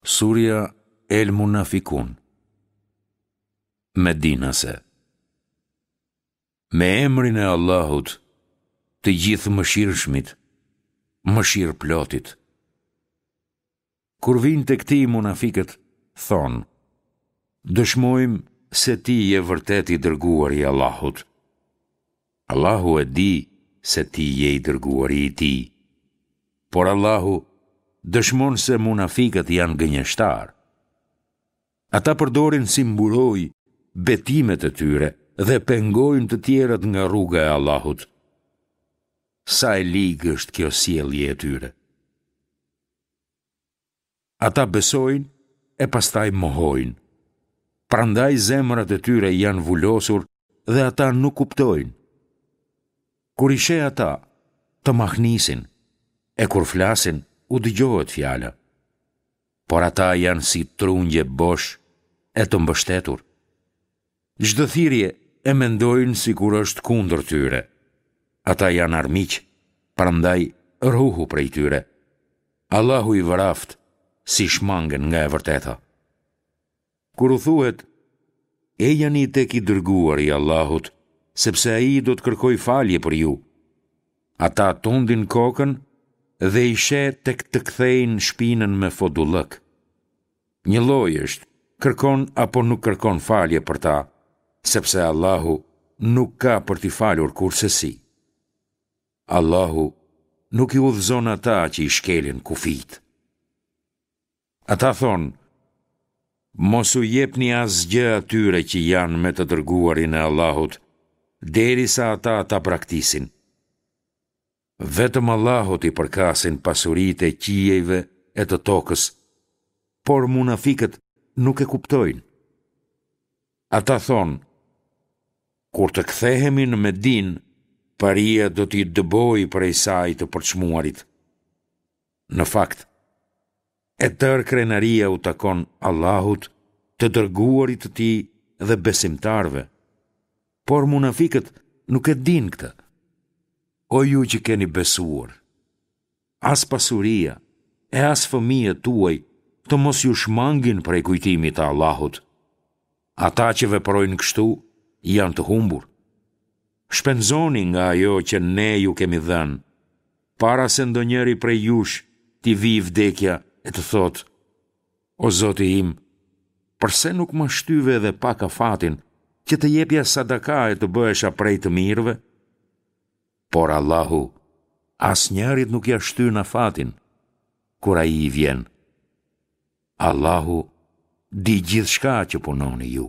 Surja El Munafikun Medinase Me emrin e Allahut, të Gjithëmëshirshmit, Mëshirëplotit. Kur vijnë tek ti munafikët, thonë, Dëshmojmë se ti je vërtet i dërguari i Allahut. Allahu e di se ti je i dërguari i Tij. Por Allahu dëshmon se munafikët janë gënjeshtarë. Ata përdorin si mburojë betimet e tyre dhe pengojnë të tjerët nga rruga e Allahut. Sa e ligë është kjo sjellje e tyre! Ata besojnë e pastaj mohojnë. Prandaj zemrat e tyre janë vulosur dhe ata nuk kuptojnë. Kur i sheh ata, të mahnisin, e kur flasin, u dëgjohet fjala. Por ata janë si trungje bosh e të mbështetur. Çdo thirrje e mendojnë sikur është kundër tyre. Ata janë armiq, prandaj ruhu prej tyre. Allahu i vraftë si shmangen nga e vërteta. Kur u thuhet, Ejani tek i dërguari i Allahut, sepse ai do të kërkojë falje për ju. Ata tundin kokën dhe i sheh tek të kthejnë shpinën me fodullëk. Njëlloj është, kërkon apo nuk kërkon falje për ta, sepse Allahu nuk ka për t'i falur kurrsesi. Allahu nuk i udhëzon ata që i shkelin kufijtë. Ata thonë, Mos u jepni asgjë atyre që janë me të dërguarin e Allahut, derisa ata ta braktisin. Vetëm Allahut i përkasin pasuritë e qiejve e të tokës, por munafikët nuk e kuptojnë. Ata thonë, Kur të kthehemi në Medinë, paria do t'i dëbojë prej saj të përçmuarit. Në fakt, e tërë krenaria u takon Allahut, të dërguarit të Tij dhe besimtarëve. Por munafikët nuk e dinë këtë. O ju që keni besuar, as pasuria e as fëmijët tuaj të mos ju shmangin prej kujtimit të Allahut. Ata që veprojnë kështu janë të humbur. Shpenzoni nga ajo që ne ju kemi dhënë, para se ndonjëri prej jush t'i vijë vdekja e të thotë, O Zoti im, përse nuk ma shtyve edhe pak afatin që të jepja sadaka e të bëhesha prej të mirëve? Por Allahu asnjërit nuk ia shtyn afatin kur ai i vjen. Allahu di gjithçka që punoni ju.